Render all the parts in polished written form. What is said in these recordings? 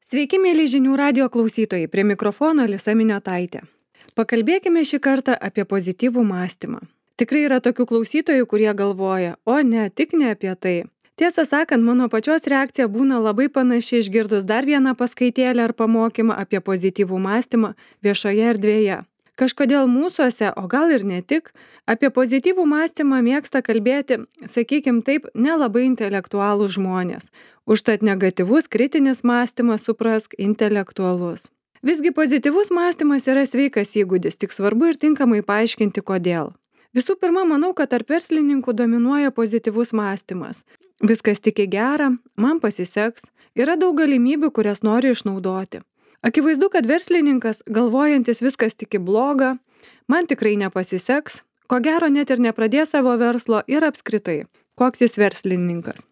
Sveiki, mėly žinių radio klausytojai, prie mikrofono Alisa Miniotaitė. Pakalbėkime šį kartą apie pozityvų mąstymą. Tikrai yra tokių klausytojų, kurie galvoja, o ne, tik ne apie tai. Tiesą sakant, mano pačios reakcija būna labai panaši išgirdus dar vieną paskaitėlę ar pamokymą apie pozityvų mąstymą viešoje erdvėje. Kažkodėl mūsuose, o gal ir ne tik, apie pozityvų mąstymą mėgsta kalbėti, sakykim taip, nelabai intelektualūs žmonės. Užtat negatyvus kritinis mąstymas suprask intelektualus. Visgi pozityvus mąstymas yra sveikas įgūdis, tik svarbu ir tinkamai paaiškinti kodėl. Visų pirma, manau, kad tarp verslininkų dominuoja pozityvus mąstymas. Viskas tik į gerą, man pasiseks, yra daug galimybių, kurias noriu išnaudoti. Akivaizdu, kad verslininkas, galvojantis viskas tik į blogą, man tikrai nepasiseks, ko gero net ir nepradės savo verslo ir apskritai, koks jis verslininkas.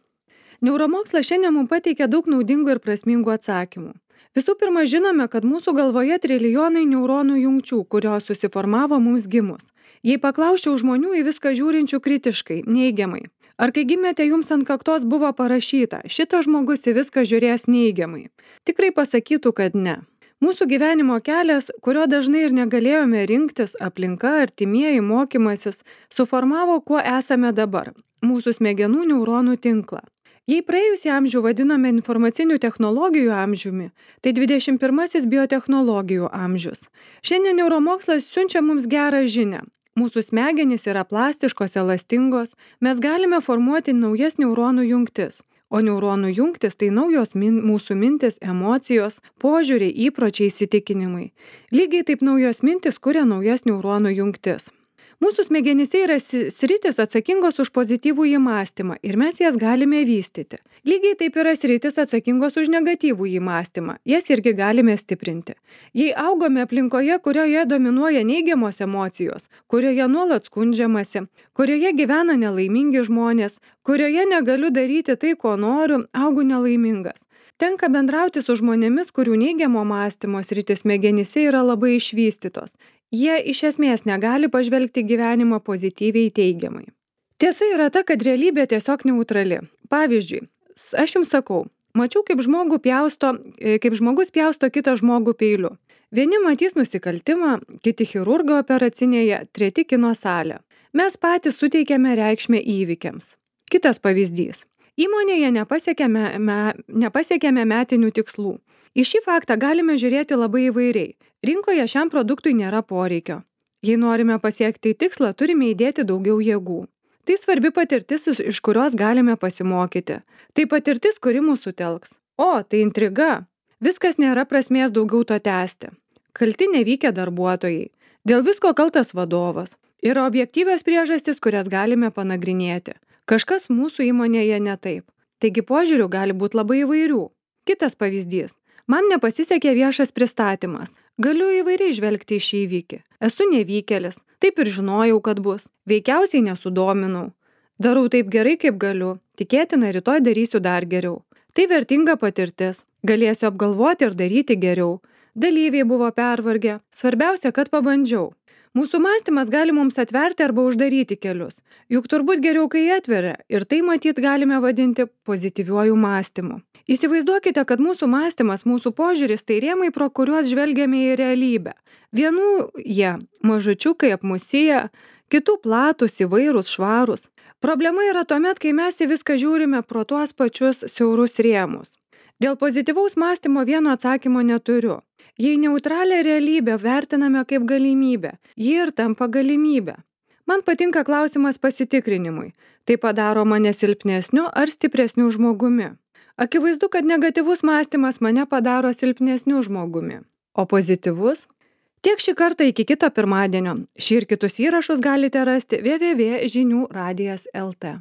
Neuromokslas šiandien mums pateikia daug naudingų ir prasmingų atsakymų. Visų pirma, žinome, kad mūsų galvoje trilijonai neuronų jungčių, kurios susiformavo mums gimus. Jei paklausčiau žmonių į viską žiūrinčių kritiškai, neigiamai, ar kai gimėte jums ant kaktos buvo parašyta, šitas žmogus į viską žiūrės neigiamai, tikrai pasakytų, kad ne. Mūsų gyvenimo kelias, kurio dažnai ir negalėjome rinktis, aplinka, artimieji, mokymasis, suformavo, kuo esame dabar – mūsų smegenų neuronų tinklą. Jei praėjusį amžių vadiname informacinių technologijų amžiumi, tai 21 biotechnologijų amžius. Šiandien neuromokslas siunčia mums gerą žinią. Mūsų smegenys yra plastiškos, elastingos, mes galime formuoti naujas neuronų jungtis. O neuronų jungtis tai naujos mūsų mintis, emocijos, požiūriai, įpročiai, įsitikinimai. Lygiai taip naujos mintis kuria naujas neuronų jungtis. Mūsų smegenyse yra sritis atsakingos už pozityvų įmąstymą ir mes jas galime vystyti. Lygiai taip yra sritis atsakingos už negatyvų įmąstymą, jas irgi galime stiprinti. Jei augome aplinkoje, kurioje dominuoja neigiamos emocijos, kurioje nuolat skundžiamasi, kurioje gyvena nelaimingi žmonės, kurioje negaliu daryti tai, ko noriu, augu nelaimingas. Tenka bendrauti su žmonėmis, kurių neigiamo mąstymo sritis smegenyse yra labai išvystytos. Jie iš esmės negali pažvelgti gyvenimą pozityviai teigiamai. Tiesa yra ta, kad realybė tiesiog neutrali. Pavyzdžiui, aš jums sakau, mačiau, kaip žmogus pjausto kitą žmogų peiliu. Vieni matys nusikaltimą, kiti chirurgo operacinėje, treti kino salę. Mes patys suteikiame reikšmę įvykiams. Kitas pavyzdys. Įmonėje nepasiekėme metinių tikslų. Į šį faktą galime žiūrėti labai įvairiai. Rinkoje šiam produktui nėra poreikio. Jei norime pasiekti tikslą, turime įdėti daugiau jėgų. Tai svarbi patirtis, iš kurios galime pasimokyti. Tai patirtis, kuri mūsų telks. O, tai intriga. Viskas nėra prasmės daugiau to tęsti. Kalti nevykę darbuotojai. Dėl visko kaltas vadovas. Yra objektyvios priežastys, kurias galime panagrinėti. Kažkas mūsų įmonėje ne taip. Taigi požiūrių gali būti labai įvairių. Kitas pavyzdys. Man nepasisekė viešas pristatymas. Galiu įvairiai žvelgti į šį įvykį. Esu nevykėlis. Taip ir žinojau, kad bus. Veikiausiai nesudominau. Darau taip gerai, kaip galiu. Tikėtina, rytoj darysiu dar geriau. Tai vertinga patirtis. Galėsiu apgalvoti ir daryti geriau. Dalyviai buvo pervargę. Svarbiausia, kad pabandžiau. Mūsų mąstymas gali mums atverti arba uždaryti kelius. Juk turbūt geriau, kai atveria. Ir tai matyt galime vadinti pozityviuoju mąstymu. Įsivaizduokite, kad mūsų mąstymas, mūsų požiūris tai rėmai, pro kuriuos žvelgiame į realybę. Vienų jie mažučiukai apmusyje, kitų platūs, įvairūs, švarūs. Problema yra tuomet, kai mes į viską žiūrime pro tuos pačius siaurus rėmus. Dėl pozityvaus mąstymo vieno atsakymo neturiu. Jei neutralią realybę vertiname kaip galimybę, ji ir tampa galimybė. Man patinka klausimas pasitikrinimui. Tai padaro mane silpnesniu ar stipresniu žmogumi. Akivaizdu, kad negatyvus mąstymas mane padaro silpnesniu žmogumi. O pozityvus? Tiek šį kartą iki kito pirmadienio. Šį ir kitus įrašus galite rasti www.žiniuradijas.lt.